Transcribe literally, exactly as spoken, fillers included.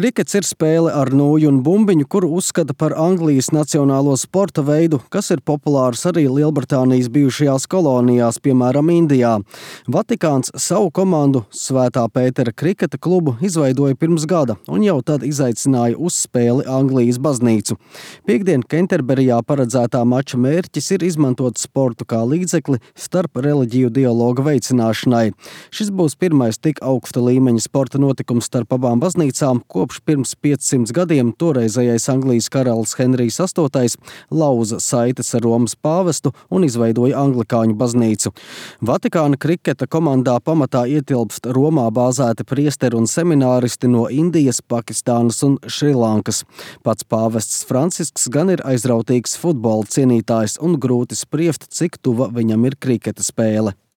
Krikets ir spēle ar nūju un bumbiņu, kuru uzskata par Anglijas nacionālo sporta veidu, kas ir populārs arī Lielbritānijas bijušajās kolonijās, piemēram, Indijā. Vatikāns savu komandu Svētā Pētera kriketa klubu izveidoja pirms gada un jau tad izaicināja uz spēli Anglijas baznīcu. Piektdien Kenterberijā paredzētā mača mērķis ir izmantot sportu kā līdzekli starp reliģiju dialoga veicināšanai. Šis būs pirmais tik augsta līmeņa sporta notikums starp abām baznīcām, kopš pirms piecsimts gadiem toreizējais Anglijas karalis Henrijs astotais lauza saites ar Romas pāvestu un izveidoja anglikāņu baznīcu. Vatikāna kriketa komandā pamatā ietilpst Romā bāzēti priesteri un semināristi no Indijas, Pakistānas un Šrilankas. Pats pāvests Francisks gan ir aizrautīgs futbola cienītājs un grūti spriest, cik tuva viņam ir kriketa spēle.